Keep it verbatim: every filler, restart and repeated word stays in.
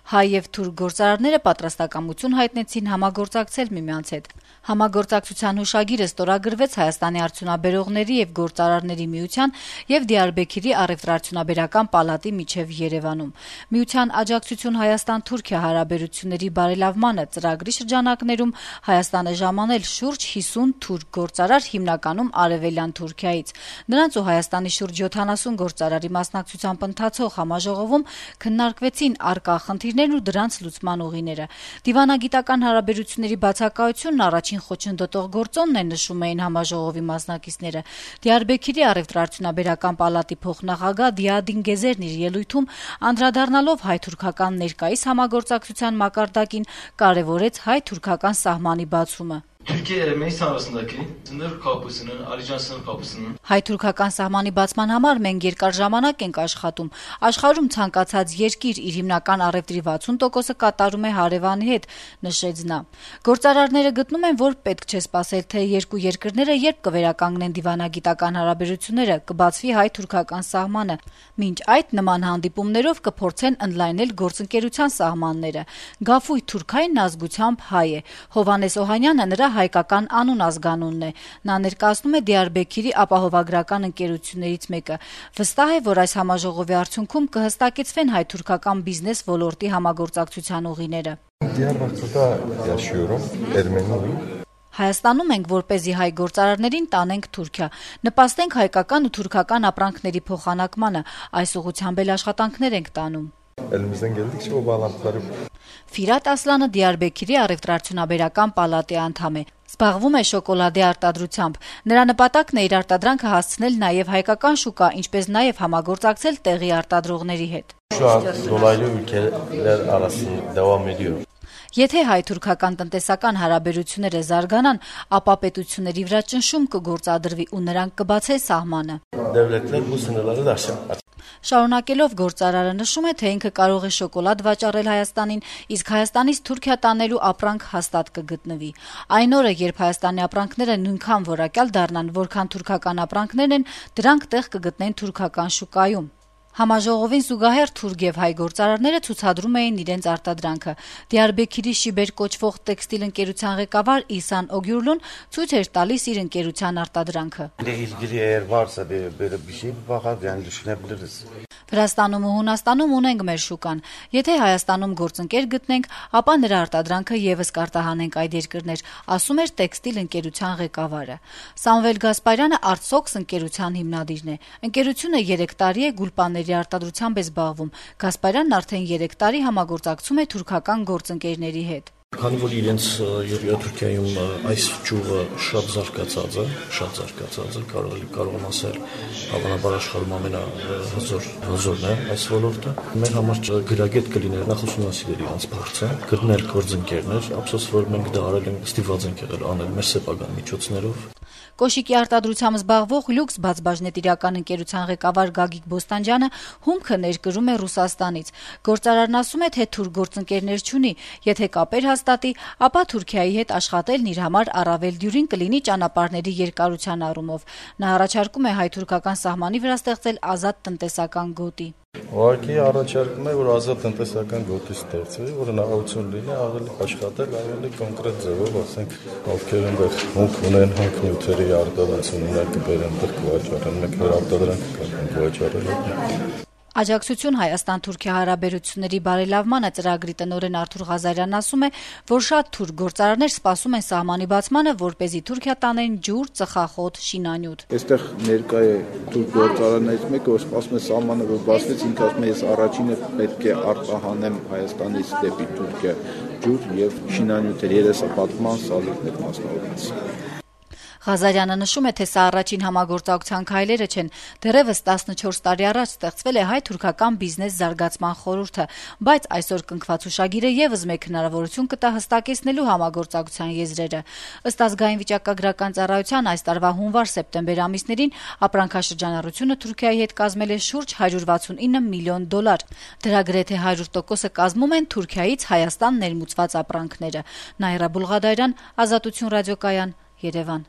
Հայ եւ թուրք գործարարները պատրաստակամություն հայտնեցին համագործակցել միմյանց հետ։ Համագործակցության հուշագիրը ստորագրվեց Հայաստանի արդյունաբերողների եւ գործարարների միության եւ Դիարբեքիրի առեւտրաարդյունաբերական պալատի միջեւ Երևանում։ Միության աջակցություն Հայաստան-Թուրքիա հարաբերությունների բարելավմանը ծրագրի շրջանակներում Հայաստանը ժամանել շուրջ հիսուն թուրք գործարար, հիմնականում արևելյան Թուրքիայից։ Նրանց ու Հայաստանի շուրջ յոթանասուն գործարարի մասնակցությամբ ընթացող համաժողովում քննարկվեցին առկա խնդիրներն ու դրանց լուծման ուղիները։ Դիվանագիտական հարաբերությունների բացակայությունն առաջին խոչընդոտող գործոնն է, նշում էին համաժողովի մասնակիցները։ Դիարբեքիրի առևտրաարդյունաբերական պալատի փոխնախագահ Դիադին Գեզերն իր ելույթում անդրադառնալով հայ-թուրքական ներկայիս համագործակցության մակարդակին կարևորեց հայ-թուրքական սահմանի բացումը։ Türkiye ile Meistan arasındaki sınır kapısının, Alican sınır kapısının հայ-թուրքական սահմանի բացման համար մենք երկար ժամանակ ենք աշխատում։ Աշխարհում ցանկացած երկիր իր հիմնական առևտրի վաթսուն տոկոսը կատարում է հարևանի հետ, նշեց նա։ Գործարարները գտնում են, որ պետք չէ սպասել, թե երկու երկրները երբ կվերականգնեն դիվանագիտական հարաբերությունները, կբացվի հայ-թուրքական սահմանը։ Մինչ այդ նման հանդիպումներով կփորձեն ընդլայնել գործընկերության սահմանները։ Գաֆույ թուրքային ազգությամբ հայ է։ Հովհաննես Օհանյանը նրա հայկական անուն ազգանունն է։ Նա ներկայացնում է Դիարբեքիրի ապահովագրական ընկերություններից մեկը։ Վստահ է, որ այս համաժողովի արդյունքում կհստակեցվեն հայ-թուրքական բիզնես ոլորտի համագործակցության ուղիները։ Հայաստանում ենք, որպեսզի հայ գործարարներին տանենք Թուրքիա, նպաստենք հայկական ու թուրքական ապրանքների փոխանակմանը, այս ուղղությամբ էլ աշխատանքներ ենք տանում։ Ֆիրատ Ասլանը Դիարբեքիրի առևտրաարդյունաբերական պալատի անդամ է։ Զբաղվում է շոկոլադե արտադրությամբ։ Նրա նպատակն է իր արտադրանքը հասցնել նաև հայկական շուկա, ինչպես նաև համագործակցել տեղի արտադրողների հետ։ Եթե հայ-թուրքական տնտեսական հարաբերությունները զարգանան, ապա պետությունների վրա ճնշում կգործադրվի ու նրանք կբացեն սահմանը։ Շարունակելով գործարարը նշում է, թե ինքը կարող է շոկոլադ վաճառել Հայաստանին, իսկ Հայաստանից Թուրքիա տանելու ապրանք հաստատ կգտնվի։ Այն օրը, երբ Հայաստանի ապրանքները նույնքան որակյալ դառնան, որքան թուրքական ապրանքներն են, դրանք տեղ կգտնեն թուրքական շուկայում։ Համաժողովին զուգահեռ թուրք եւ հայ գործարարները ցուցադրում էին իրենց արտադրանքը։ Դիարբեքիրի Շիբեր կոչվող տեքստիլ ընկերության ղեկավար Իսան Օգյուրլուն ցույց էր տալիս իր ընկերության արտադրանքը։ Վրաստանում ու Հունաստանում ունենք մեր շուկան։ Եթե Հայաստանում գործընկեր գտնենք, ապա նրա արտադրանքը եւս կարտահանենք այդ երկրներ, ասում էր տեքստիլ ընկերության ղեկավարը։ Սամվել Գասպարյանը Artsox ընկերության հիմնադիրն է։ Ընկերությունը երեք տարի է գուլպաների արտադրությամբ է զբաղվում։ Գասպարյանն արդեն երեք տարի համագործակցում է թուրքական գործընկերների հետ։ Քանի որ իրենց Թուրքիայում այս ճյուղը շատ զարգացած է, շատ զարգացած է, կարող կարող եմ ասել, հավանաբար աշխարհում ամենահզոր հզորն է այս ոլորտը։ Մեր համար գրագետ կլիներ նախ ուսումնասիրել իրանց փորձը, գտնել գործընկերներ, ափսոս որ մենք դա արել ենք, ստիպված ենք եղել անել մեր սեփական միջոցներով։ Կոշիկի արտադրությամբ զբաղվող Լյուքս բացբաժնետիրական ընկերության ղեկավար Գագիկ Բոստանջյանը հումքը ներկրում է Ռուսաստանից։ Գործարարն ասում է, թե թուրք գործընկերներ չունի, եթե կապեր հաստատի, ապա Թուրքիայի հետ աշխատելն իր համար առավել դյուրին կլինի ճանապարհների երկարության առումով։ Նա առաջարկում է հայ-թուրքական սահմանի վրա ստեղծել ազատ տնտեսական գոտի։ Ուղղակի առաջարկում է, որ ազատ տնտեսական գոտի ստեղծվի, որ հնարավորություն լինի ավելի աշխատել, ավելի կոնկրետ ձևով, ասենք, ովքեր այնտեղ հումք ունեն, հումք նյութերի արտադրություն ունեն, կբերեն այնտեղ կվաճառեն, մենք մեր արտադրանքը կարող վաճառել։ Աջակցություն Հայաստան-Թուրքիա հարաբերությունների բարելավմանը ծրագրի տնօրեն Արթուր Ղազարյանն ասում է, որ շատ թուրք գործարարներ սպասում են սահմանի բացմանը, որպեսզի Թուրքիա տանեն ջուր, ծխախոտ, շինանյութ։ Այստեղ ներկա է թուրք գործարարներից մեկը, որ սպասում է սահմանը, որ բացվեց, ինքը ասում է, ես առաջինը պետք է արտահանեմ Հայաստանից դեպի Թուրքիա ջուր եւ շինանյութեր, երեսապատման սալիկներ մասնավորապես։ Ղազարյանը նշում է, թե սա առաջին համագործակցության քայլերը չեն։ Դեռևս տասնչորս տարի առաջ ստեղծվել է հայ-թուրքական բիզնես զարգացման խորհուրդը, բայց այսօր կնքված հուշագիրը եւս մեկ հնարավորություն կտա հստակեցնելու համագործակցության եզրերը։ Ըստ ազգային վիճակագրական ծառայության այս տարվա հունվար-սեպտեմբեր ամիսներին ապրանքաշրջանառությունը Թուրքիայի հետ կազմել է շուրջ հարյուր վաթսունինը միլիոն դոլար։ Դրա գրեթե հարյուր տոկոսը կազմում են Թուրքիայից Հայաստան ներմուծված ապրանքները։ Նաիրա Բուլղադարյան, Ազատություն ռադիոկայան, Երևան։